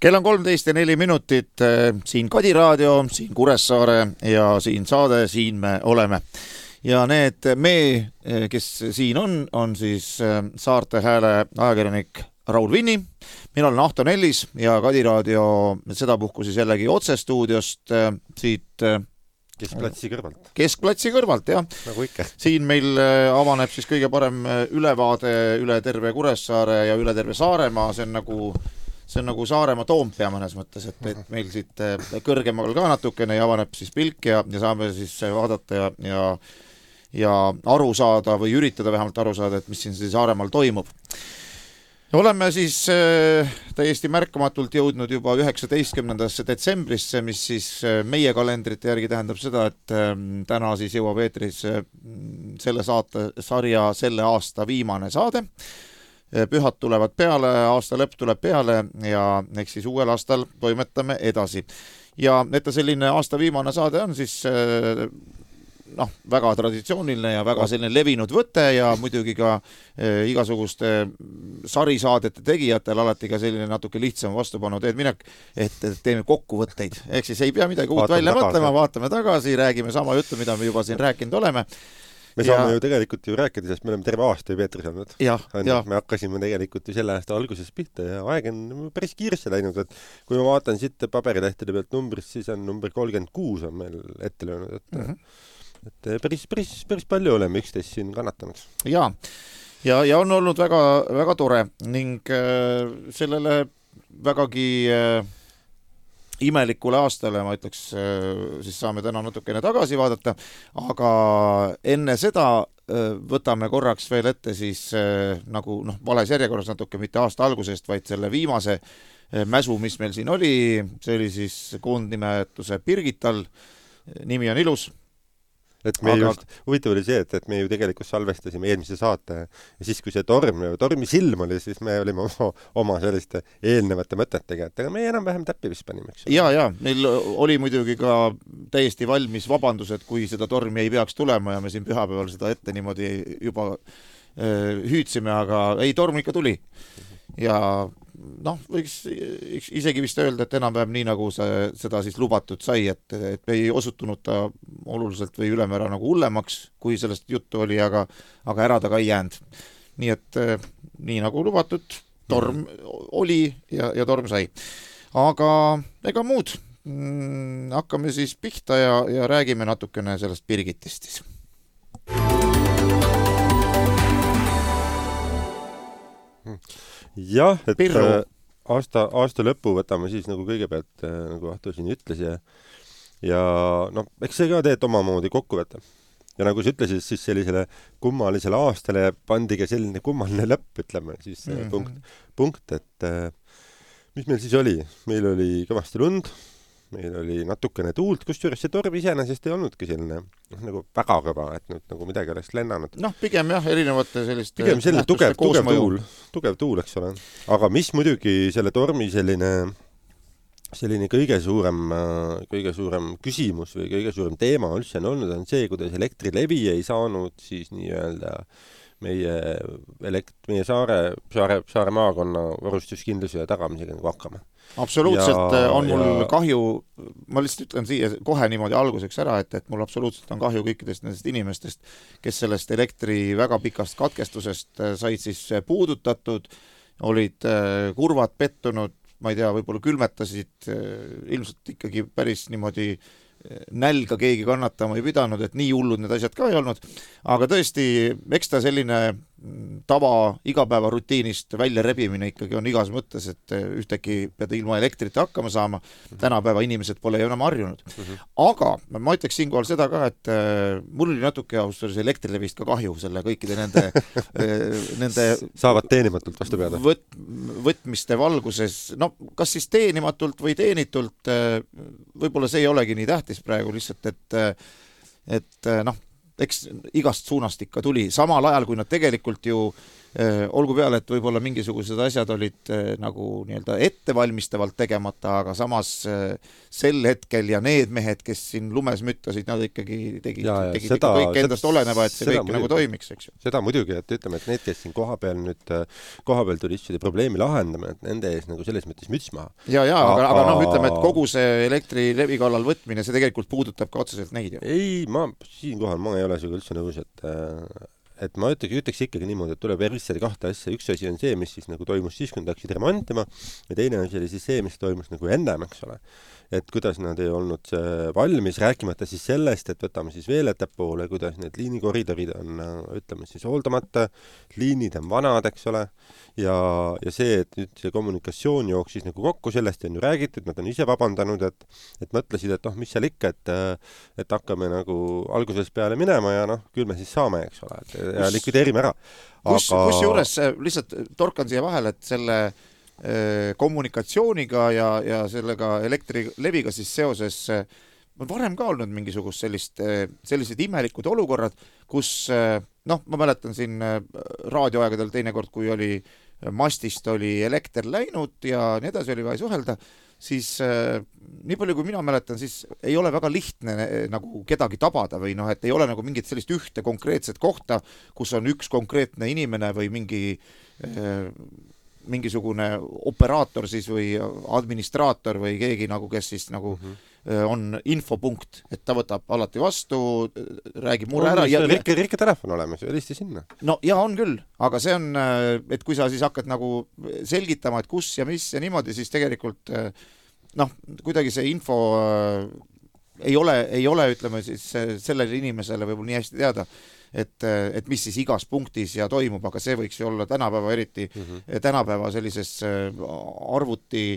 Kell on 13:04, siin Kadi raadio, siin Kuressaare ja siin saade, siin me oleme. Ja need kes siin on siis Saarte Hääle ajakirjanik Raul Vinni. Mina olen Ahto Nellis ja Kadi raadio sedapuhku siis jällegi otsestuudiost siit Keskplatsi kõrvalt, jah. Nagu ikka. Siin meil avaneb siis kõige parem ülevaade üle terve Kuressaare ja üle terve Saaremaa. See on nagu Saaremaa Toompea mõnes mõttes, et meil siit kõrgemal ka natukene ja avaneb siis pilk ja saame siis vaadata ja aru saada või üritada vähemalt aru saada, et mis siin Saaremaal toimub. Oleme siis täiesti märkamatult jõudnud juba 19. detsembrisse, mis siis meie kalendrite järgi tähendab seda, et täna siis jõuab eetris selle sarja selle aasta viimane saade. Pühad tulevad peale, aasta lõpp tuleb peale ja eks siis uuel aastal toimetame edasi. Ja et selline aasta viimane saade on siis väga traditsiooniline ja väga selline levinud võte ja muidugi ka igasuguste sarisaadete tegijatel alati ka selline natuke lihtsam vastupanu teed minek, et teeme kokkuvõtteid. Ehk siis ei pea midagi uut välja mõtlema, vaatame tagasi, räägime sama juttu, mida me juba siin rääkinud oleme. Me saame ju tegelikult rääkida, sest me oleme terve aasta juba eetris olnud. Me hakkasime tegelikult ju selle aasta alguses pihta ja aeg on päris kiiresti läinud. Et kui ma vaatan siit paberilehtede pealt numbrist, siis on number 36 on meil ette löönud. Et päris palju oleme üksteist siin kannatanud. Ja on olnud väga, väga tore ning sellele vägagi imelikule aastale, ma ütleks, siis saame täna natukene tagasi vaadata, aga enne seda võtame korraks veel ette siis nagu vales järjekorras natuke, mitte aasta algusest, vaid selle viimase mäsu, mis meil siin oli, see oli siis koondnimetuse Birgital, nimi on ilus. Et me just, huvitav oli see, et me ju tegelikult salvestasime eelmise saate ja siis, kui see tormi silm oli, siis me olime oma selliste eelnevate mõtetega, et me enam-vähem täppi vist panime. Ja, meil oli muidugi ka täiesti valmis vabandused, kui seda tormi ei peaks tulema ja me siin pühapäeval seda ette niimoodi juba hüüdsime, aga ei, torm ikka tuli. Ja võiks isegi vist öelda, et enam-vähem nii nagu seda siis lubatud sai, et ei osutunud ta oluliselt või ülemäära nagu hullemaks, kui sellest juttu oli, aga ära ta ka ei jäänud. Nii et nii nagu lubatud, torm oli ja torm sai. Aga ega muud, hakkame siis pihta ja räägime natukene sellest Birgitist siis. Jah, et aasta lõppu võtame siis nagu kõigepealt, nagu Ahto siin ütles ja eks see ka teed omamoodi kokkuvõte. Ja nagu sa ütlesid, siis sellisele kummalisele aastale pandi ka selline kummaline lõpp, ütleme, siis punkt, et mis meil siis oli? Meil oli kõvasti lund, meil oli natukene tuult, kusjuures see torm iseenesest ei olnudki selline nagu väga kõva, et nüüd nagu midagi oleks lennanud. Pigem jah, erinevate selliste pigem selline tugev tuul, eks ole. Aga mis muidugi selle tormi selline kõige suurem küsimus või kõige suurem teema üldse on olnud, on see, kuidas Elektrilevi ei saanud siis nii-öelda meie saare maakonna varustuskindluse tagamisega nagu hakkama. Absoluutselt on mul kahju, ma lihtsalt ütlen siia kohe niimoodi alguseks ära, et mul absoluutselt on kahju kõikidest nendest inimestest, kes sellest elektri väga pikast katkestusest said siis puudutatud, olid kurvad pettunud, ma ei tea, võib-olla külmetasid, ilmselt ikkagi päris niimoodi nälga keegi kannatama ei pidanud, et nii hullud need asjad ka ei olnud, aga tõesti, eks ta selline tava igapäeva rutiinist välja rebimine ikkagi on igas mõttes, et ühtegi pead ilma elektrita hakkama saama, tänapäeva inimesed pole ju enam harjunud. Aga ma ütleks siinkohal seda ka, et mul oli natuke austus Elektrilevist ka kahju selle kõikide nende saavad teenimatult vastu peada. Võtmiste valguses, kas siis teenimatult või teenitult, võib-olla see ei olegi nii tähtis praegu lihtsalt, et eks igast suunast ikka tuli, samal ajal kui nad tegelikult ju olgu peale, et võib-olla mingisugused asjad olid nagu nii-öelda ettevalmistavalt tegemata, aga samas sel hetkel ja need mehed, kes siin lumes müttasid, nad ikkagi tegid seda, kõik endast oleneva, et see kõik muidugi, nagu toimiks, eks ju. Seda muidugi, et ütleme, et need, kes siin kohapeal turistide probleemi lahendama, et nende ees nagu selles mõttes müts maha. Aga noh, ütleme, et kogu see Elektrilevi kallal võtmine, see tegelikult puudutab ka otseselt neid ju. Ei, siinkohal ma ei ole sinuga üldse nõus, et ma ütleks ikkagi niimoodi, et tuleb eristada kahte asja. Üks asi on see, mis siis nagu toimus siis, kui nad hakkasid remontima, ja teine asi oli siis see, mis toimus nagu ennem, eks ole. Et kuidas nad ei olnud valmis, rääkimata siis sellest, et võtame siis veel ettepoole, kuidas need liinikoridorid on, ütleme siis hooldamata, liinid on vanad, eks ole, ja see, et nüüd see kommunikatsioon jooksis nagu kokku, sellest on ju räägitud, nad on ise vabandanud, et mõtlesid, et mis seal ikka, et hakkame nagu alguses peale minema ja küll me siis saame, eks ole, ja likvideerime ära. Kusjuures lihtsalt torkan siia vahele, et selle kommunikatsiooniga ja sellega Elektrileviga siis seoses on varem ka olnud mingisugust sellised imelikud olukorrad, kus ma mäletan siin raadioaegadel teinekord, kui oli mastist oli elekter läinud ja nii edasi oli vaja suhelda, siis nii palju kui mina mäletan, siis ei ole väga lihtne nagu kedagi tabada või et ei ole nagu mingit sellist ühte konkreetset kohta, kus on üks konkreetne inimene või mingisugune operaator siis või administraator või keegi nagu, kes siis nagu on infopunkt, et ta võtab alati vastu, räägib mure ära. Rikke telefon olemas, helisti sinna. No ja on küll, aga see on, et kui sa siis hakkad nagu selgitama, et kus ja mis ja niimoodi, siis tegelikult kuidagi see info ei ole, ütleme siis sellele inimesele võib-olla nii hästi teada, et mis siis igas punktis ja toimub, aga see võiks ju olla tänapäeva eriti, tänapäeva sellises arvuti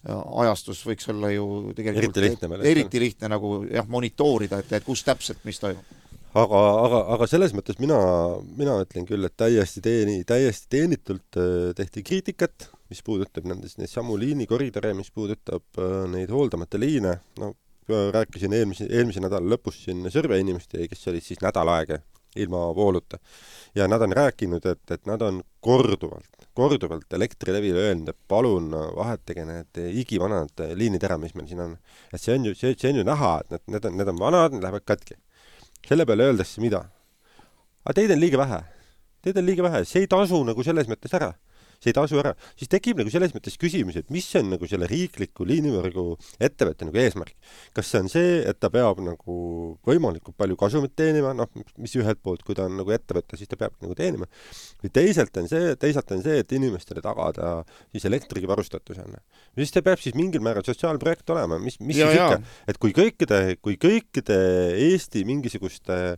ajastus võiks olla ju tegelikult eriti lihtne nagu monitoorida, et kus täpselt mis toimub. Aga selles mõttes mina ütlen küll, et täiesti teenitult tehti kriitikat, mis puudutab neid samu liinikoridore, mis puudutab neid hooldamata liine. Rääkisin eelmise nädala lõpus siin Sõrve inimeste, kes olid siis nädal aega ilma vooluta. Ja nad on rääkinud, et nad on korduvalt Elektrilevile öelnud, et palun vahetage need igivanad liinid ära, mis meil siin on. Et see on ju näha, et need on vanad, need lähevad katki. Selle peale öeldakse mida? Aga teid on liiga vähe. See ei tasu nagu selles mõttes ära. Siis tekib nagu selles mõttes küsimus, et mis on nagu selle riikliku liinivõrgu ettevõtte nagu eesmärk. Kas see on see, et ta peab nagu võimalikult palju kasumit teenima, mis ühelt poolt, kui ta on nagu ettevõtte, siis ta peab nagu teenima. Või teisalt on see, et inimestele tagada siis elektriga varustatus on. Siis ta peab siis mingil määral sotsiaalprojekt olema, mis siis ikka, et kui kõikide Eesti mingisuguste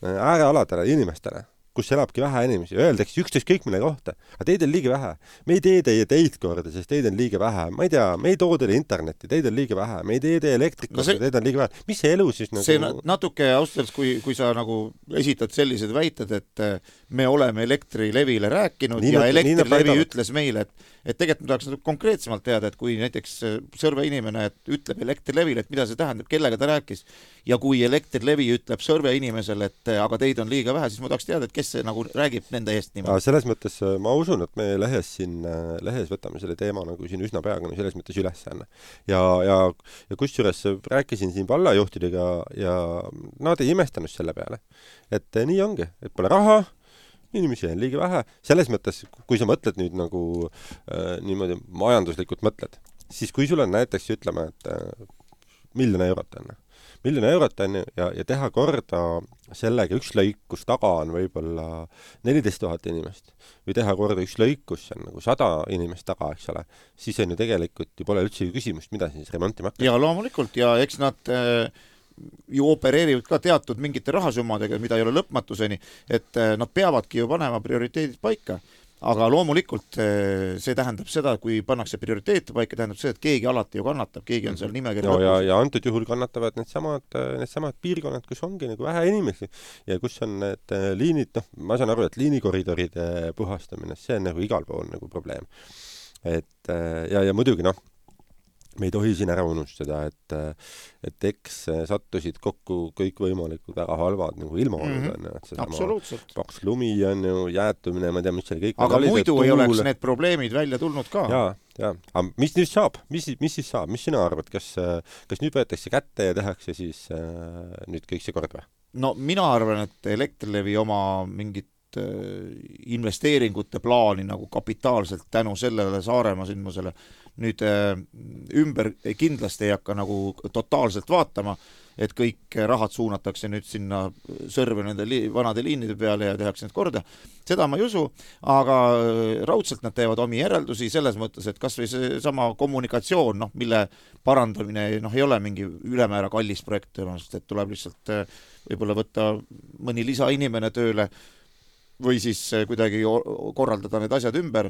äärealadele inimestele, kus elabki vähe inimesi, öeldakse üksteist kõik mille kohta, aga teid on liiga vähe. Me ei tee teid korda, sest teid on liiga vähe. Ma ei tea, me ei too teile internetti, teid on liiga vähe. Me ei tee elektrikorda, teid on liiga vähe. Mis see elu siis nagu... See natuke ausalt, kui sa nagu esitad sellised väited, et me oleme Elektrilevile rääkinud ja Elektrilevi ütles meile, et tegelikult me tahaks konkreetsemalt teada, et kui näiteks Sõrve inimene ütleb Elektrilevile, et mida see tähendab, kellega ta rääkis, ja kui Elektrilevi ütleb Sõrve inimesele, et aga teid on liiga vähe, siis ma tahaks teada, et kes see nagu räägib nende eest niimoodi. Selles mõttes ma usun, et me lehes võtame selle teema nagu siin üsna peaga selles mõttes üles. Ja kusjuures rääkisin siin vallajuhtidega ja nad ei imestanud selle peale. Et nii ongi, et pole raha, inimesi on liiga vähe. Selles mõttes, kui sa mõtled nüüd nagu niimoodi majanduslikult mõtled, siis kui sul on näiteks, ütleme, et 1 000 000 eurot on. 1 000 000 eurot on ja teha korda sellega üks lõik, kus taga on võib-olla 14 000 inimest või teha korda üks lõik, kus on nagu 100 inimest taga, eks ole, siis on ju tegelikult ju pole üldse küsimust, mida siis remontima hakkab. Ja loomulikult, ja eks nad ju opereerivad ka teatud mingite rahasummadega, mida ei ole lõpmatuseni, et nad peavadki ju panema prioriteedid paika. Aga loomulikult see tähendab seda, kui pannakse prioriteete paika, tähendab seda, et keegi alati ju kannatab, keegi on seal nimekirja lõpus. Ja antud juhul kannatavad needsamad piirkonnad, kus ongi nagu vähe inimesi ja kus on need liinid, ma saan aru, et liinikoridoride puhastamine, see on nagu igal pool nagu probleem. Ja muidugi me ei tohi siin ära unustada, et eks sattusid kokku kõikvõimalikud väga halvad nagu ilmaolud on ju, et absoluutselt. Paks lumi on ju, jäätumine, ma ei tea, mis seal kõik. Aga muidu ei oleks need probleemid välja tulnud ka. Ja. Aga mis nüüd saab? Mis siis saab? Mis sina arvad? Kas nüüd võetakse kätte ja tehakse siis nüüd kõik see kord või? No mina arvan, et Elektrilevi oma mingit investeeringute plaani nagu kapitaalselt tänu sellele Saaremaa sündmusele nüüd ümber kindlasti ei hakka nagu totaalselt vaatama, et kõik rahad suunatakse nüüd sinna Sõrve nende vanade liinide peale ja tehakse need korda. Seda ma ei usu, aga raudselt nad teevad omi järeldusi selles mõttes, et kas või see sama kommunikatsioon, mille parandamine ei ole mingi ülemäära kallis projekt, sest et tuleb lihtsalt võib-olla võtta mõni lisainimene tööle või siis kuidagi korraldada need asjad ümber,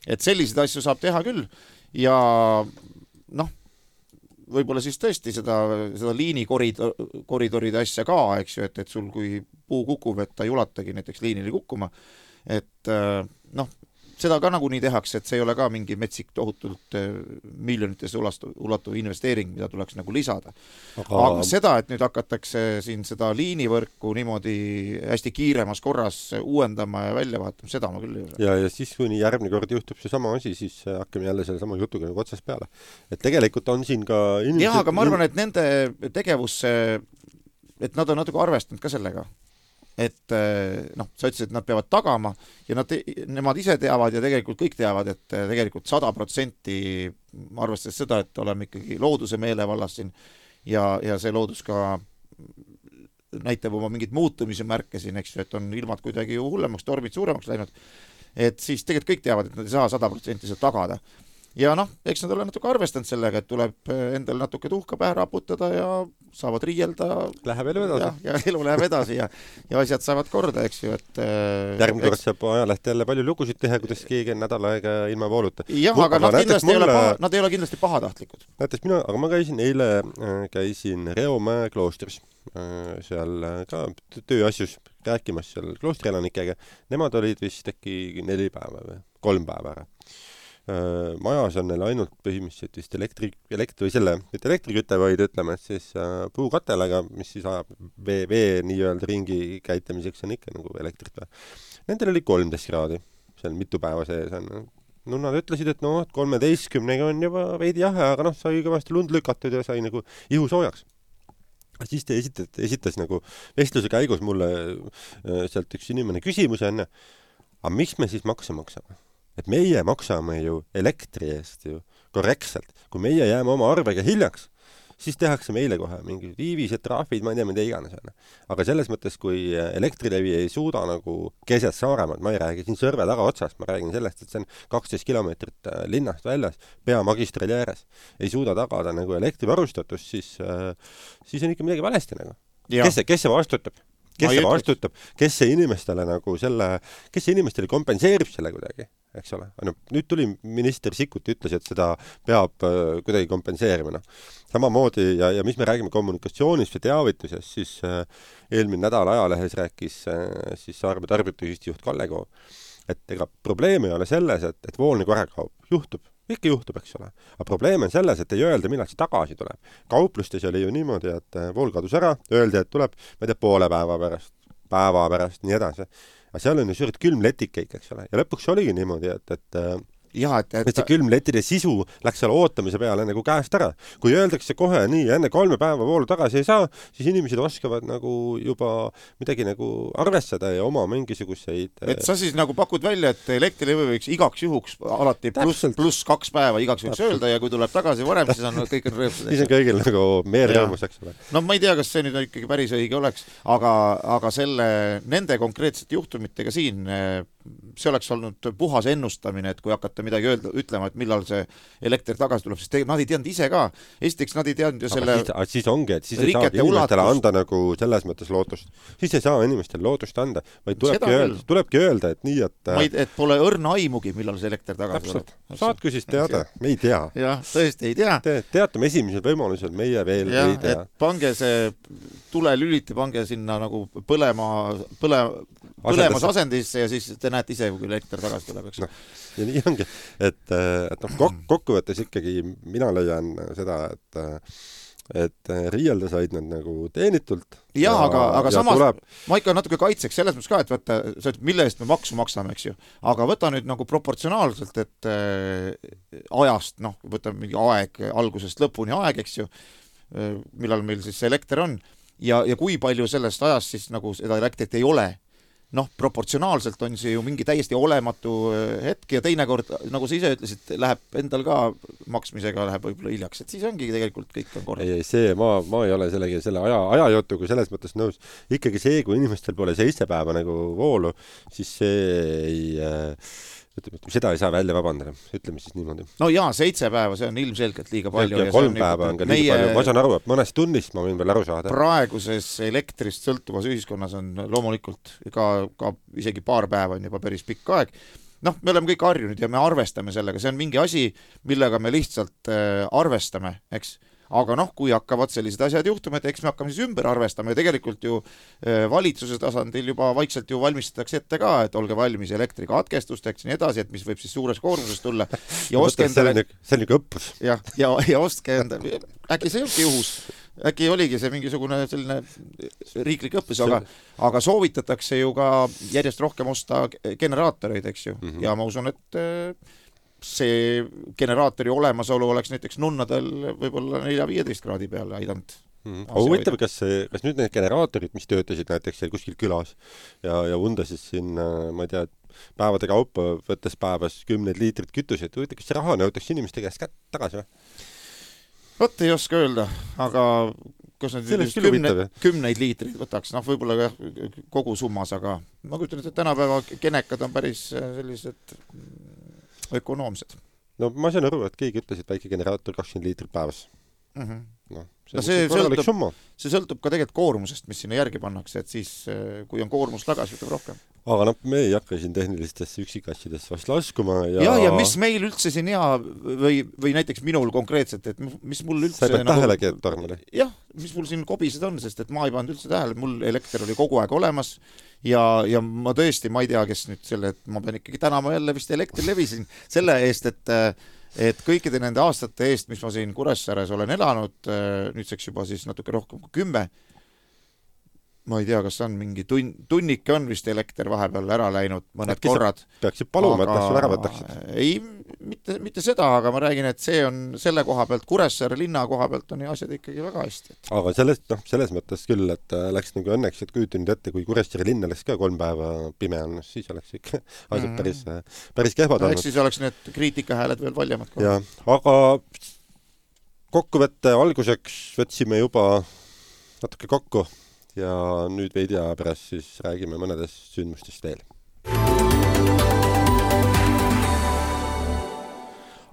et selliseid asju saab teha küll ja võib-olla siis tõesti seda liinikoridoride asja ka, eks ju, et sul kui puu kukub, et ta ei ulatagi näiteks liinile kukkuma, et seda ka nagunii tehakse, et see ei ole ka mingi metsik tohutult miljonitesse ulatuv investeering, mida tuleks nagu lisada. Aga seda, et nüüd hakatakse siin seda liinivõrku niimoodi hästi kiiremas korras uuendama ja välja vaatama, seda ma küll ei usu. Ja siis kuni järgmine kord juhtub see sama asi, siis hakkame jälle selle sama jutuga nagu otsast peale. Et tegelikult on siin ka jah, aga ma arvan, et nende tegevusse, et nad on natuke arvestanud ka sellega. Et sa ütlesid, et nad peavad tagama ja nemad ise teavad ja tegelikult kõik teavad, et tegelikult 100% arvestades seda, et oleme ikkagi looduse meelevallas siin ja see loodus ka näitab oma mingid muutumise märke siin, eks ju, et on ilmad kuidagi hullemaks, tormid suuremaks läinud, et siis tegelikult kõik teavad, et nad ei saa 100% seda tagada. Ja eks nad ole natuke arvestanud sellega, et tuleb endal natuke tuhka pähe raputada ja saavad riielda. Läheb elu edasi. Ja elu läheb edasi ja asjad saavad korda, eks ju, et järgmine kord saab ajalehti jälle palju lugusid teha, kuidas keegi nädal aega ilma vooluta. Jah, aga nad ei ole kindlasti pahatahtlikud. Näiteks aga ma käisin Reomäe kloostris seal ka tööasjus rääkimas seal kloostrielanikega. Nemad olid vist äkki 4 päeva või 3 päeva ära. Majas on neil ainult põhimõtteliselt vist elektriküte, vaid ütleme, et siis puukatelaga, mis siis ajab vee nii-öelda ringi käitamiseks on ikka nagu elektrit. Nendel oli 13 kraadi, seal mitu päeva sees on. Nad ütlesid, et 13 on juba veidi jahe, aga sai kõvasti lund lükatud ja sai nagu ihu soojaks. Siis te esitas nagu vestluse käigus mulle sealt üks inimene küsimuse enne, aga miks me siis makse maksame? Et meie maksame ju elektri eest ju korrektselt. Kui meie jääme oma arvega hiljaks, siis tehakse meile kohe mingi viivised, traafid, ma ei tea, mida iganes. Aga selles mõttes, kui Elektrilevi ei suuda nagu keset Saaremaad, ma ei räägi siin Sõrve taga otsast, ma räägin sellest, et see on 12 kilomeetrit linnast väljas, peamagistrali ääres, ei suuda tagada nagu elektrivarustatus, siis on ikka midagi valesti nagu. Kes see vastutab? Kes see vastutab? Kes see inimestele nagu kes see inimestele kompenseerib selle kuidagi, eks ole? Nüüd tuli minister Sikkut ütles, et seda peab kuidagi kompenseerima. Samamoodi ja mis me räägime kommunikatsioonist ja teavitusest, siis eelmine nädal ajalehes rääkis siis Saaremaa tarbijate juht Kalle Koo, et ega probleem ei ole selles, et voolne korra kaob. Ikka juhtub, eks ole. Aga probleem on selles, et ei öelda, millal see tagasi tuleb. Kauplustes oli ju niimoodi, et vool kadus ära, öeldi, et tuleb, ma ei tea, poole päeva pärast, nii edasi. Aga seal on ju suured külmletikeik, eks ole. Ja lõpuks oligi niimoodi, et see külmletide sisu läks seal ootamise peale nagu käest ära. Kui öeldakse kohe nii, enne 3 päeva voolu tagasi ei saa, siis inimesed oskavad nagu juba midagi nagu arvestada ja oma mingisuguseid... Et sa siis nagu pakud välja, et Elektrilevi võiks igaks juhuks alati pluss 2 päeva igaks juhuks öelda ja kui tuleb tagasi varem, siis on kõik rõõmsad. Siis on kõigil nagu meer rõõmus, eks ole. Ma ei tea, kas see nüüd ikkagi päris õige oleks, aga nende konkreetsete juhtumitega siin see oleks olnud puhas ennustamine, et kui hakata midagi ütlema, et millal see elekter tagasi tuleb, sest nad ei teadnud ise ka. Esiteks nad ei teadnud ju selle siis ongi, et siis ei saa inimestele anda nagu selles mõttes lootust. Siis ei saa inimestele lootust anda, vaid tulebki öelda, et nii, et pole õrna aimugi, millal see elekter tagasi tuleb. Saatku siis teada, me ei tea. Jah, tõesti ei tea. Teatame esimesel võimalusel, meie veel ei tea. Et pange see tulelüliti, pange sinna nagu põlemas asendisse ja siis te näete ise, kui elekter tagasi tuleb, eks. No, ja nii ongi, et kokkuvõttes ikkagi mina leian seda, et riielda said nad nagu teenitult. Jaa, aga samas ma ikka natuke kaitseks selles mõttes ka, et võtta, mille eest me maksu maksame, eks ju. Aga võta nüüd nagu proportsionaalselt, et ajast, võta mingi aeg, algusest lõpuni aeg, eks ju, millal meil siis see elekter on ja kui palju sellest ajast siis nagu seda elektrit ei ole. Proportsionaalselt on see ju mingi täiesti olematu hetk ja teinekord, nagu sa ise ütlesid, läheb endal ka maksmisega läheb võib-olla hiljaks, et siis ongi tegelikult kõik on korras. Ei, see, ma ei ole selle ajajutuga selles mõttes nõus. Ikkagi see, kui inimestel pole 7 päeva nagu voolu, siis seda ei saa välja vabandada, ütleme siis niimoodi. No jaa, 7 päeva, see on ilmselgelt liiga palju. Ja 3 päeva on ka liiga palju. Ma saan aru, et mõnest tunnist ma võin veel aru saada. Praeguses elektrist sõltuvas ühiskonnas on loomulikult ka isegi paar päeva on juba päris pikk aeg. Me oleme kõik harjunud ja me arvestame sellega. See on mingi asi, millega me lihtsalt arvestame, eks. Aga kui hakkavad sellised asjad juhtuma, et eks me hakkame siis ümber arvestama ja tegelikult ju valitsuse tasandil juba vaikselt ju valmistatakse ette ka, et olge valmis elektrikatkestusteks ja nii edasi, et mis võib siis suures koormuses tulla. Ja ostke endale... See on niisugune õppus. Ja ostke endale... Äkki see ongi juhus. Äkki oligi see mingisugune selline riiklik õppus, aga soovitatakse ju ka järjest rohkem osta generaatoreid, eks ju. Ja ma usun, et... see generaatori olemasolu oleks näiteks nunnadel võib-olla 4-15 kraadi peale aidanud. Huvitav, kas nüüd need generaatorid, mis töötasid näiteks seal kuskil külas ja undasid siin, ma ei tea, päevade kaupa võttes päevas 10 liitrit kütuseid, huvitav, kas see raha nõutakse inimeste käest tagasi või? Võt ei oska öelda, aga kas need 10 liitrid võtaks, võib-olla kogu summas, aga ma kujutan, et tänapäeva genekad on päris sellised ökonoomsed. Ma saan aru, et keegi ütles, et väike generaator 20 liitrit päevas. See sõltub ka tegelikult koormusest, mis sinna järgi pannakse, et siis kui on koormus tagasi, võtab rohkem. Aga me ei hakka siin tehnilistesse üksikasjadesse vast laskuma. Ja mis meil üldse siin hea või näiteks minul konkreetselt, et mis mul üldse... Sa ei pead tähelegi, et tormale? Jah, mis mul siin kobised on, sest et ma ei pannud üldse tähele, mul elekter oli kogu aeg olemas ja ma tõesti, ma ei tea, kes nüüd selle, et ma pean ikkagi tänama jälle vist Elektrilevi siin selle eest, et kõikide nende aastate eest, mis ma siin Kuressaares olen elanud, nüüdseks juba siis natuke rohkem kui 10, ma ei tea, kas on mingi tunnike on vist elekter vahepeal ära läinud mõned korrad. Peaksid paluma, et kas ära võtaksid? Ei, mitte seda, aga ma räägin, et see on selle koha pealt, Kuressaare linna koha pealt on ju asjad ikkagi väga hästi. Aga selles mõttes küll, et läks nagu õnneks, et kujutin nüüd ette, kui Kuressaare linna läks ka 3 päeva pime on, siis oleks ikka asjad päris kehvad olnud. Siis oleks need kriitikahääled veel valjemad. Ja, aga kokkuvõtte alguseks võtsime juba natuke kokku ja nüüd veidi aja pärast siis räägime mõnedest sündmustest veel.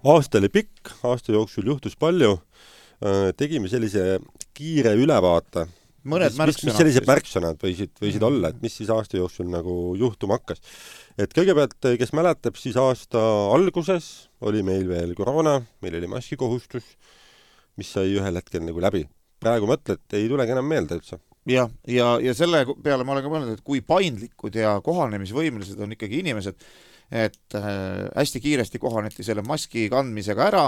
Aasta oli pikk, aasta jooksul juhtus palju. Tegime sellise kiire ülevaate. Mõned märksõnad. Mis sellised märksõnad võisid olla, et mis siis aasta jooksul nagu juhtuma hakkas. Et kõigepealt, kes mäletab, siis aasta alguses oli meil veel koroona, meil oli maskikohustus, mis sai ühel hetkel nagu läbi. Praegu mõtled, ei tulegi enam meelde üldse. Ja selle peale ma olen ka mõelnud, et kui paindlikud ja kohanemisvõimelised on ikkagi inimesed, et hästi kiiresti kohaneti selle maski kandmisega ära.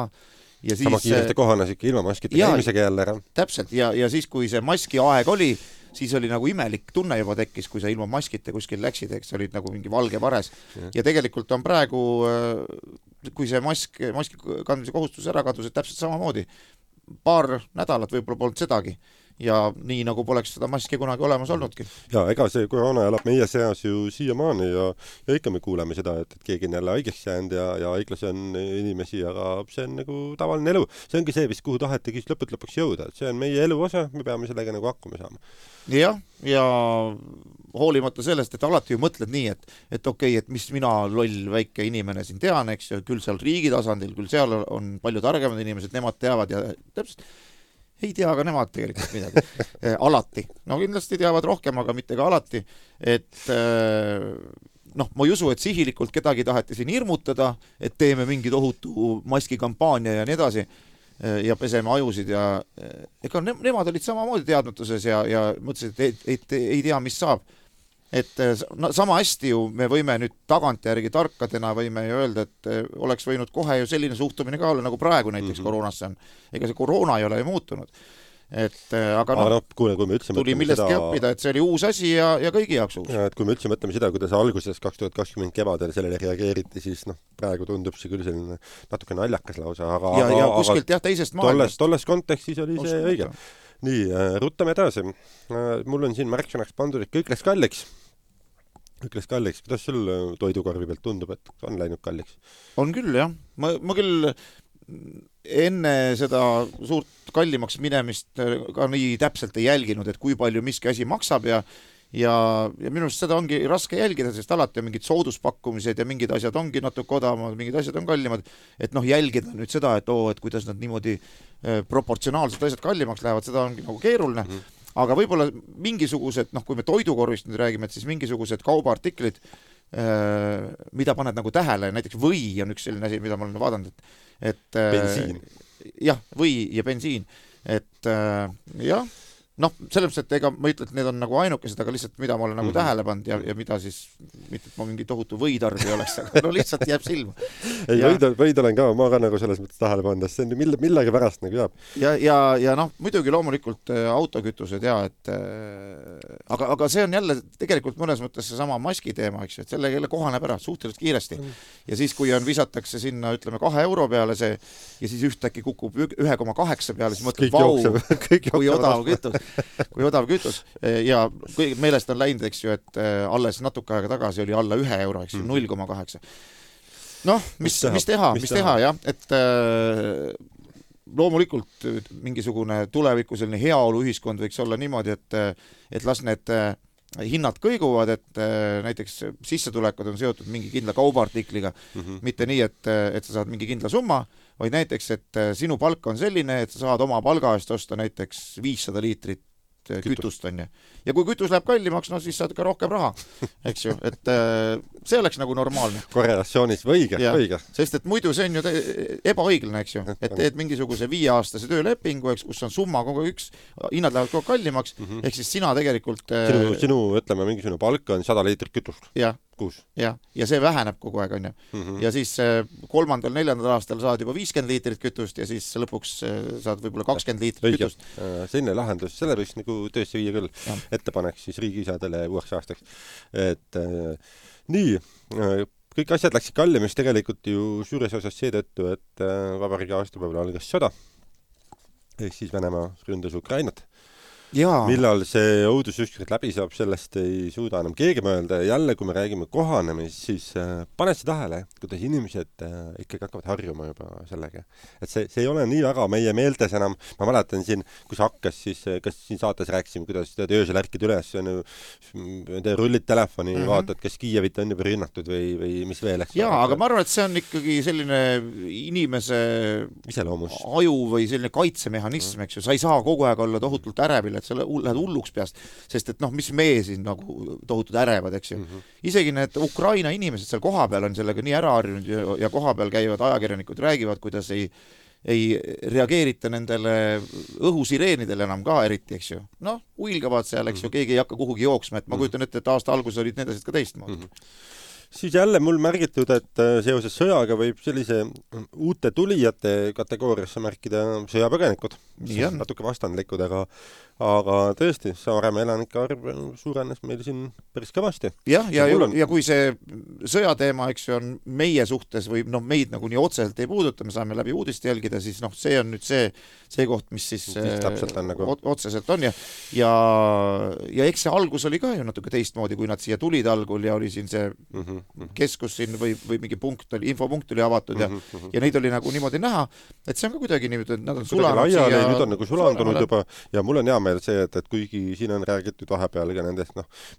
Ja siis, sama kiiresti kohanes ikka ilma maskita käimisega jälle ära. Täpselt, ja siis kui see maski aeg oli, siis oli nagu imelik tunne juba tekkis, kui sa ilma maskita kuskil läksid, eks olid nagu mingi valge vares. Ja tegelikult on praegu, kui see maski kandmise kohustus ära kadus, et täpselt samamoodi. Paar nädalat võib-olla polnud sedagi. Ja nii nagu poleks seda maski kunagi olemas olnudki. Ja ega see koroona elab meie seas ju siiamaani ja ikka me kuuleme seda, et keegi on jälle haigeks jäänud ja haiglas on inimesi, aga see on nagu tavaline elu. See ongi see, kuhu tahetegi lõpuks jõuda. See on meie elu osa, me peame sellega nagu hakkama saama. Jah, ja hoolimata sellest, et alati ju mõtled nii, et okei, et mis mina loll väike inimene siin tean, eks, küll seal riigi tasandil, küll seal on palju targemad inimesed, nemad teavad ja täpselt ei tea ka nemad tegelikult midagi. Alati. No kindlasti teavad rohkem, aga mitte ka alati. Et ma ei usu, et sihilikult kedagi taheti siin hirmutada, et teeme mingi tohutu maskikampaania ja nii edasi ja peseme ajusid ja ega nemad olid samamoodi teadmatuses ja mõtlesid, et ei tea, mis saab. et no, sama hästi ju me võime nüüd tagantjärgi tarkadena võime ju öelda, et oleks võinud kohe ju selline suhtumine ka olla, nagu praegu näiteks koroonasse on. Ega see koroona ei ole ju muutunud. Et aga kuule, kui me üldse tuli millestki õppida, et see oli uus asi ja kõigi jaoks uus. Ja, et kui me üldse mõtleme seda, kuidas alguses 2020 kevadel sellele reageeriti, siis praegu tundub see küll selline natuke naljakas lausa, ja kuskilt teisest maailmast. Tolles kontekstis oli see õige. Nii, ruttame edasi. Mul on siin märksõnaks pandud, et kõik läks kalliks. Kuidas sul toidukorvi pealt tundub, et on läinud kalliks? On küll, jah. Ma küll enne seda suurt kallimaks minemist ka nii täpselt ei jälginud, et kui palju miski asi maksab ja minu arust seda ongi raske jälgida, sest alati on mingid sooduspakkumised ja mingid asjad ongi natuke odavamad, mingid asjad on kallimad, et jälgida nüüd seda, et kuidas nad niimoodi proportsionaalselt asjad kallimaks lähevad, seda ongi nagu keeruline, aga võib-olla mingisugused, kui me toidukorvist nüüd räägime, et siis mingisugused kaubaartiklid, mida paned nagu tähele, näiteks või on üks selline asi, mida ma olen vaadanud, et bensiin. Jah, või ja bensiin, et jah, selles mõttes, et ega ma ütlen, et need on nagu ainukesed, aga lihtsalt mida ma olen nagu tähele pannud ja mida siis, mitte et ma mingi tohutu võitarbi oleks, aga lihtsalt jääb silma. Ei, võid olen ka, ma ka nagu selles mõttes tähele pannud, see on millegi pärast nagu jääb. Ja muidugi loomulikult autokütused et aga see on jälle tegelikult mõnes mõttes see sama maski teema, eks ju, et selle jälle kohaneb ära suhteliselt kiiresti. Ja siis, kui visatakse sinna, ütleme, 2 euro peale see ja siis ühtäkki kukub 1,8 peale, siis mõtleb, kui odav kütus ja meelest on läinud, eks ju, et alles natuke aega tagasi oli alla 1 euro, eks ju, 0,8. Mis teha, jah, et loomulikult mingisugune tuleviku selline heaoluühiskond võiks olla niimoodi, et las need hinnad kõiguvad, et näiteks sissetulekud on seotud mingi kindla kaubaartikliga, mitte nii, et sa saad mingi kindla summa, vaid näiteks, et sinu palk on selline, et sa saad oma palga eest osta näiteks 500 liitrit kütust on ju. Ja kui kütus läheb kallimaks, siis saad ka rohkem raha, eks ju, et see oleks nagu normaalne. Korrelatsioonis õige. Sest et muidu see on ju ebaõiglane, eks ju, et teed mingisuguse 5-aastase töölepingu, eks, kus on summa kogu üks, hinnad lähevad kogu kallimaks, ehk siis sina tegelikult sinu, ütleme, mingisugune palk on 100 liitrit kütust. Kuus. Ja see väheneb kogu aeg, on ju. Ja siis 3.-4. aastal saad juba 50 liitrit kütust ja siis lõpuks saad võib-olla 20 liitrit kütust. Selline lahendus, selle võiks nagu töösse viia küll ettepanek siis riigiisadele uueks aastaks. Et nii, kõik asjad läksid kallimaks tegelikult ju suures osas seetõttu, et vabariigi aastapäeval algas sõda. Ehk siis Venemaa ründas Ukrainat. Millal see õudus ükskord läbi saab, sellest ei suuda enam keegi mõelda ja jälle, kui me räägime kohanemist, siis paned see tähele, kuidas inimesed ikkagi hakkavad harjuma juba sellega. Et see ei ole nii väga meie meeltes enam. Ma mäletan siin, kus hakkas, siis kas siin saates rääkisime, kuidas öösel ärkid üles, rullid telefoni, vaatad, kas Kiievit on juba rünnatud või mis veel. Aga ma arvan, et see on ikkagi selline inimese iseloomus. Aju või selline kaitsemehhanism, eks ju. Sa ei saa kogu aeg olla tohutult ärevil, et sa lähed hulluks peast, sest et mis me siin nagu tohutud ärevad, eks ju. Isegi need Ukraina inimesed seal kohapeal on sellega nii ära harjunud ja kohapeal käivad ajakirjanikud räägivad, kuidas ei reageerita nendele õhusireenidele enam ka eriti, eks ju. Uilgavad seal, eks ju, keegi ei hakka kuhugi jooksma, et ma kujutan ette, et aasta alguses olid need asjad ka teistmoodi. Siis jälle mul märgitud, et seoses sõjaga võib sellise uute tulijate kategooriasse märkida sõjapõgenikud. Natuke vastandlikud, aga tõesti, Saaremaa elanike arv suurenes meil siin päris kõvasti. Ja kui see sõjateema, eks ju, on meie suhtes või meid nagu nii otseselt ei puuduta, me saame läbi uudist jälgida, siis see on nüüd see koht, mis siis nagu otseselt on ja eks see algus oli ka ju natuke teistmoodi, kui nad siia tulid algul ja oli siin see keskus siin või mingi infopunkt oli avatud ja neid oli nagu niimoodi näha, et see on ka kuidagi niimoodi, et nad on sulanud siia. Nüüd on nagu sulandunud juba ja mul on hea meel see, et kuigi siin on räägitud vahepeal ka nendest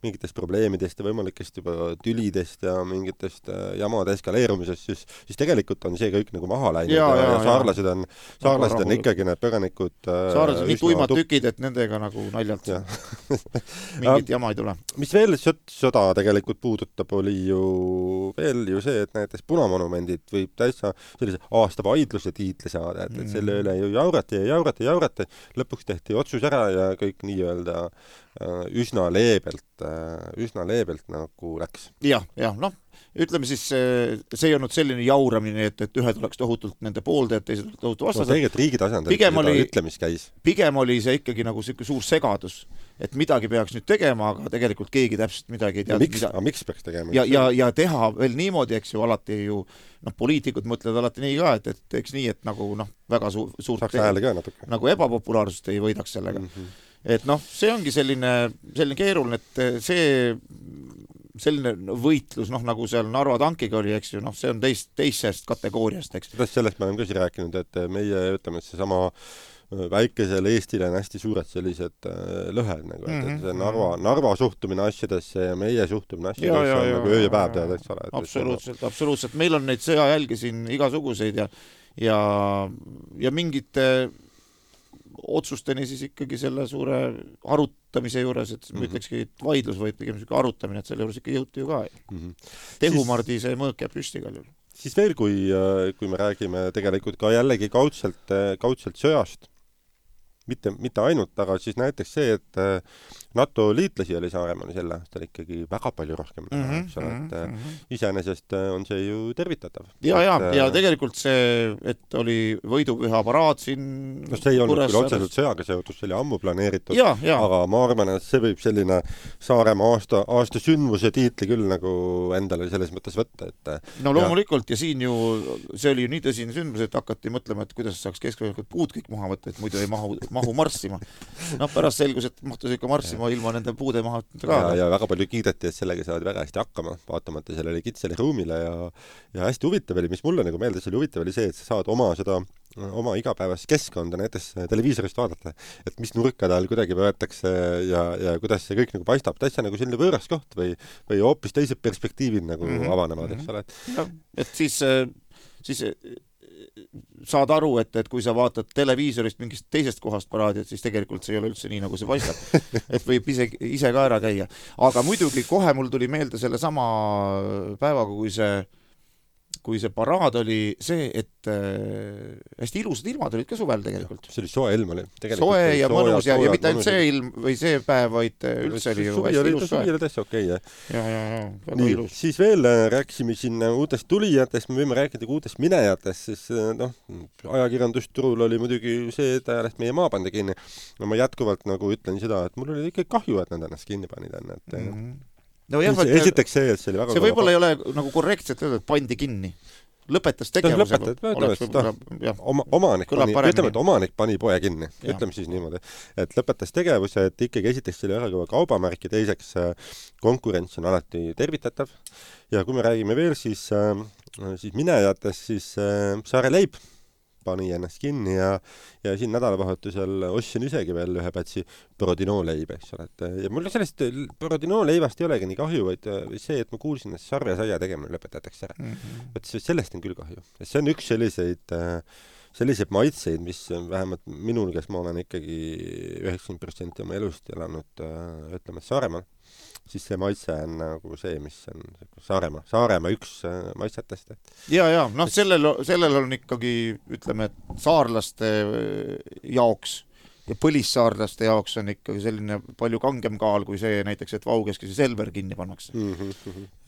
mingitest probleemidest ja võimalikest juba tülidest ja mingitest jamade eskaleerumisest, siis tegelikult on see kõik nagu maha läinud ja saarlased on ikkagi need põgenikud saarlased nii tuimad tükid, et nendega nagu naljalt mingit jama ei tule. Mis veel sõda tegelikult puudutab, oli ju veel see, et näiteks punamonumendid võib täitsa sellise aasta vaidluse tiitli saada, et selle üle ju jaurati, lõpuks tehti otsus ära ja kõik nii-öelda üsna leebelt nagu läks. Jah, noh, ütleme siis, see ei olnud selline jauramine, et ühed oleks tohutult nende pooldajad, teised oleks tohutu vastased. Tegelikult riigi tasandil seda ütlemis käis. Pigem oli see ikkagi nagu suur segadus, et midagi peaks nüüd tegema, aga tegelikult keegi täpselt midagi ei teadnud. Miks peaks tegema? Ja teha veel niimoodi, eks ju, alati ju, poliitikud mõtlevad alati nii ka, et eks nii, et nagu väga suurt nagu ebapopulaarsust ei võidaks sellega. Et see ongi selline keeruline, et selline võitlus, nagu seal Narva tankiga oli, eks ju, see on teisest kategooriast, eks. Sellest me oleme ka siin rääkinud, et meie, ütleme, et see sama väikesel Eestile on hästi suured sellised lõhed, nagu, et see Narva suhtumine asjadesse ja meie suhtumine asjadesse on nagu öö ja päev tead, eks ole. Absoluutselt. Meil on neid sõjajälgi siin igasuguseid ja mingite otsusteni siis ikkagi selle suure arutamise juures, et ma ütlekski, et vaidlus või pigem arutamine, et selle juures ikka jõuti ju ka. Tehumardi see mõõk jääb püsti ka. Siis veel, kui me räägime tegelikult ka jällegi kaudselt sõjast, mitte ainult, aga siis näiteks see, et NATO liitlasi oli Saaremaal sel aastal ikkagi väga palju rohkem. Iseenesest on see ju tervitatav. Ja tegelikult see, et oli võidupüha paraad siin see ei olnud küll otseselt sõjaga seotud, see oli ammu planeeritud, aga ma arvan, et see võib selline Saaremaa aasta sündmuse tiitli küll nagu endale selles mõttes võtta. Loomulikult ja siin ju see oli ju nii tõsine sündmus, et hakati mõtlema, et kuidas saaks keskvõimalikult puud kõik maha võtta, et muidu ei mahu marssima. Pärast selgus, et mahtus ikka marssima ilma nende puude maha ka. Ja väga palju kiideti, et sellega saavad väga hästi hakkama, vaatamata sellele kitsale ruumile ja hästi huvitav oli, mis mulle nagu meeldes oli huvitav oli see, et sa saad oma igapäevast keskkonda näiteks televiisorist vaadata, et mis nurka tal kuidagi võetakse ja kuidas see kõik nagu paistab, täitsa nagu selline võõras koht või hoopis teised perspektiivid nagu avanevad, eks ole. Et siis saad aru, et kui sa vaatad televiisorist mingist teisest kohast paraadi, et siis tegelikult see ei ole üldse nii, nagu see paistab. Et võib ise ka ära käia. Aga muidugi kohe mul tuli meelde selle sama päevaga, kui see paraad oli see, et hästi ilusad ilmad olid ka suvel tegelikult. See oli soe ilm oli. Soe ja mõnus ja mitte ainult see ilm või see päev, vaid üldse oli ju hästi ilus soe. Suvi oli täitsa okei, jah. Ja, väga ilus. Siis veel rääkisime siin uutest tulijatest, me võime rääkida uutest minejatest, siis ajakirjandusturul oli muidugi see, et ajast meie maapande kinni. Ma jätkuvalt nagu ütlen seda, et mul oli ikka kahju, et nad ennast kinni panid. Esiteks see, et see oli väga see võib-olla ei ole nagu korrektselt öelda, et pandi kinni. Lõpetas tegevusega. Omanik pani poe kinni. Ütleme siis niimoodi. Et lõpetas tegevuse, et ikkagi esiteks see oli väga kõva kaubamärk ja teiseks konkurents on alati tervitatav. Ja kui me räägime veel, siis minejatest, siis Saare Leib pani ennast kinni ja siin nädalavahetusel ostsin isegi veel ühe pätsi Borodino leiba, eks ole. Ja mul sellest Borodino leivast ei olegi nii kahju, vaid see, et ma kuulsin, et sarvesaia tegemine lõpetatakse ära. Et sellest on küll kahju. See on üks selliseid maitseid, mis vähemalt minul, kes ma olen ikkagi 90% oma elust elanud, ütleme, Saaremaal, siis see maitse on nagu see, mis on Saaremaa üks maitsetest. Ja, sellel on ikkagi, ütleme, saarlaste jaoks ja põlissaarlaste jaoks on ikkagi selline palju kangem kaal kui see näiteks, et Vaugeski see Selver kinni pannakse.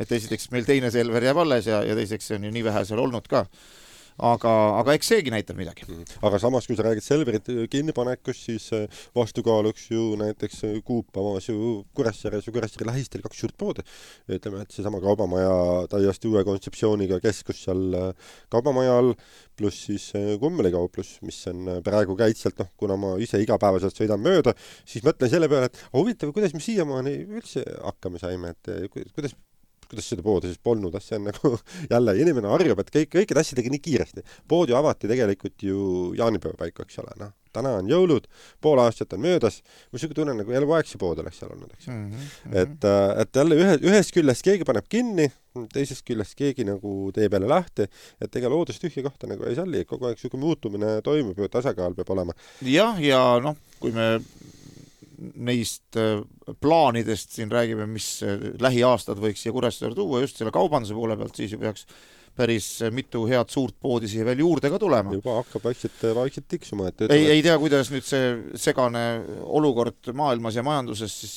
Et esiteks meil teine Selver jääb alles ja teiseks see on ju nii vähe seal olnud ka. Aga eks seegi näitab midagi. Aga samas, kui sa räägid Selverit kinnipanekust, siis vastukaaluks ju näiteks Coop avas ju Kuressaares ja Kuressaare lähistel 2 suurt poodi. Ütleme, et see sama kaubamaja täiesti uue kontseptsiooniga keskus seal kaubamaja all, pluss siis kummelikauplus, mis on praegu käitselt, kuna ma ise igapäevaselt sõidan mööda, siis mõtlen selle peale, et huvitav, kuidas me siiamaani üldse hakkame saime, et kuidas seda poodi siis polnud, see on nagu jälle inimene harjub, et kõikide asjadega nii kiiresti. Pood ju avati tegelikult ju jaanipäeva paiku, eks ole. Täna on jõulud, pool aastat on möödas, ma sügu tunnen nagu eluaeg see pood oleks seal olnud, eks. Et jälle ühest küljest keegi paneb kinni, teisest küljest keegi nagu teeb jälle lahti, et ega loodust tühja kohta nagu ei salli, kogu aeg sügu muutumine toimub ja tasakaal peab olema. Jah, ja kui me neist plaanidest siin räägime, mis lähiaastad võiks siia Kuressaare tuua just selle kaubanduse poole pealt, siis ju päris mitu head suurt poodi siia veel juurde ka tulema. Juba hakkab vaikselt tiksuma. Ei tea, kuidas nüüd see segane olukord maailmas ja majanduses siis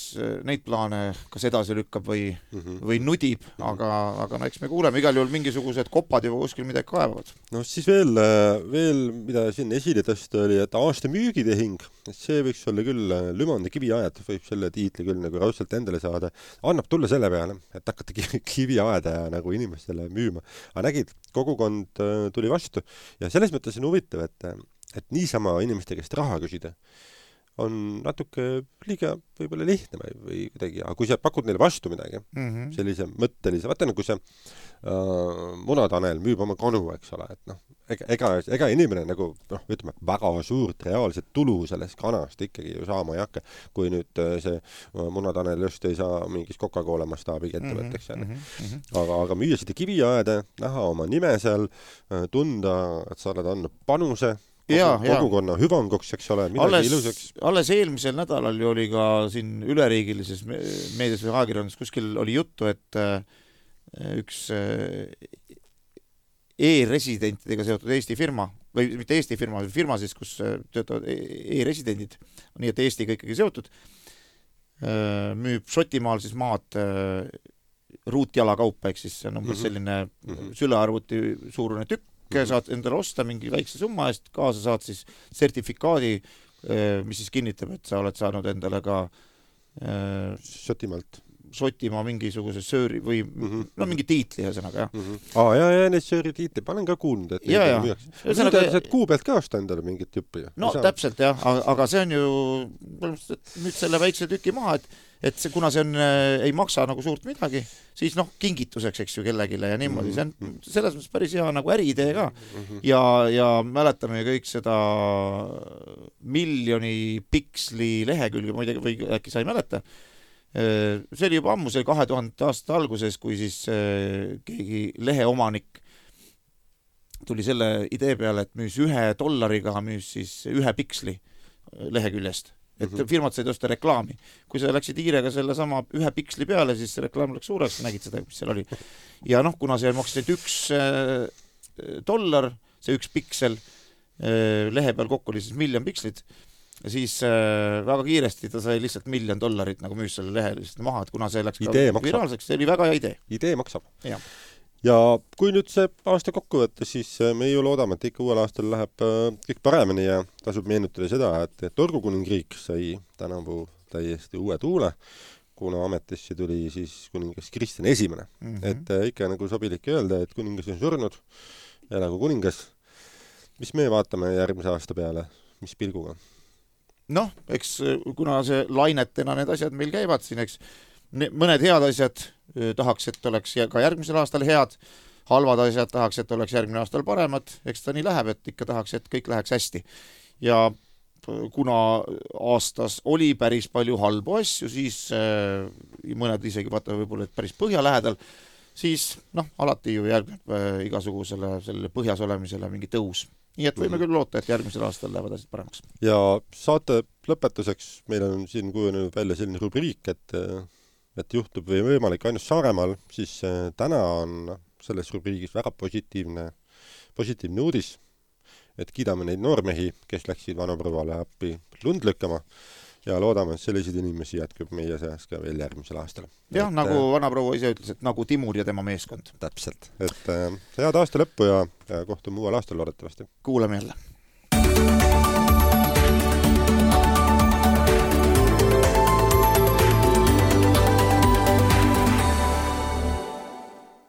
neid plaane kas edasi lükkab või nudib, aga no eks me kuuleme, igal juhul mingisugused kopad juba kuskil midagi kaevavad. No siis veel mida siin esile tõsta oli, et aasta müügitehing, see võiks olla küll Lümandi kiviaed, võib selle tiitli küll nagu raudselt endale saada. Annab tulla selle peale, et hakata kiviaeda nagu inimestele müüma. Aga nägid, kogukond tuli vastu ja selles mõttes on huvitav, et niisama inimeste käest raha küsida on natuke liiga võib-olla lihtne või kuidagi, aga kui sa pakud neile vastu midagi, sellise mõttelise, vaata nagu see Munatanel müüb oma kanu, eks ole, et noh, ega inimene nagu, noh, ütleme, väga suurt reaalset tulu sellest kanast ikkagi ju saama ei hakka, kui nüüd see Munatanel just ei saa mingis Coca-Cola mastaabiga ettevõtteks. Aga müüa seda kiviaeda, näha oma nime seal, tunda, et sa oled andnud panuse, kogukonna hüvanguks, eks ole, midagi ilusaks. Alles eelmisel nädalal ju oli ka siin üleriigilises meedias või ajakirjandus kuskil oli juttu, et üks e-residentidega seotud Eesti firma, või mitte Eesti firma, firma siis, kus töötavad e-residendid, nii et Eestiga ikkagi seotud, müüb Šotimaal siis maad ruutjalakaupa, ehk siis see on umbes selline sülearvuti suurune tükk, saad endale osta mingi väikse summa eest, kaasa saad siis sertifikaadi, mis siis kinnitab, et sa oled saanud endale ka Šotimaa mingisuguse sööri või no mingi tiitli ühesõnaga, jah. Ja need sööri tiitli, panen ka kuulnud, et nüüd saad kuu pealt ka osta endale mingit tüppi. No täpselt, jah, aga see on ju nüüd selle väikse tüki maha, et see, kuna see on, ei maksa nagu suurt midagi, siis noh, kingituseks, eks ju, kellegile ja niimoodi. See on selles mõttes päris hea nagu äriidee ka. Ja mäletame kõik seda miljoni piksli lehekülge, ma ei tea, või äkki sa ei mäleta. See oli juba ammu, see 2000 aasta alguses, kui siis keegi leheomanik tuli selle idee peale, et müüs $1 müüs siis 1 piksli leheküljest. Et firmad said osta reklaami. Kui sa läksid hiirega selle sama 1 piksli peale, siis see reklaam läks suureks, nägid seda, mis seal oli. Ja noh, kuna see maksis $1, see 1 piksel, lehe peal kokku oli siis 1 miljon pikslit, siis väga kiiresti ta sai lihtsalt $1 miljon nagu müüs selle lehe lihtsalt maha, et kuna see läks ka viraalseks, see oli väga hea idee. Idee maksab. Ja kui nüüd see aasta kokku võtta, siis me ju loodame, et ikka uuel aastal läheb kõik paremini ja tasub meenutada seda, et Torgukuningriik sai tänavu täiesti uue tuule, kuna ametisse tuli siis kuningas Kristjan I. Et ikka nagu sobilik öelda, et kuningas on surnud, elagu kuningas. Mis me vaatame järgmise aasta peale, mis pilguga? Noh, eks kuna see lainetena need asjad meil käivad siin, eks mõned head asjad tahaks, et oleks ka järgmisel aastal head, halvad asjad tahaks, et oleks järgmine aastal paremad, eks ta nii läheb, et ikka tahaks, et kõik läheks hästi. Ja kuna aastas oli päris palju halbu asju, siis mõned isegi vaata võib-olla päris põhja lähedal, siis noh, alati ju järgneb igasugusele põhjas olemisele mingi tõus. Nii et võime küll loota, et järgmisel aastal lähevad asjad paremaks. Ja saate lõpetuseks meil on siin kujunenud välja selline rubriik, et juhtub või võimalik ainult Saaremaal, siis täna on selles rubriigis väga positiivne uudis, et kiidame neid noormehi, kes läksid vanapõrvale appi lund lükkama ja loodame, et selliseid inimesi jätkub meie seas ka veel järgmisel aastal. Jah, nagu vanaproua ise ütles, et nagu Timur ja tema meeskond. Täpselt. Et head aasta lõppu ja kohtume uuel aastal loodetavasti. Kuuleme jälle.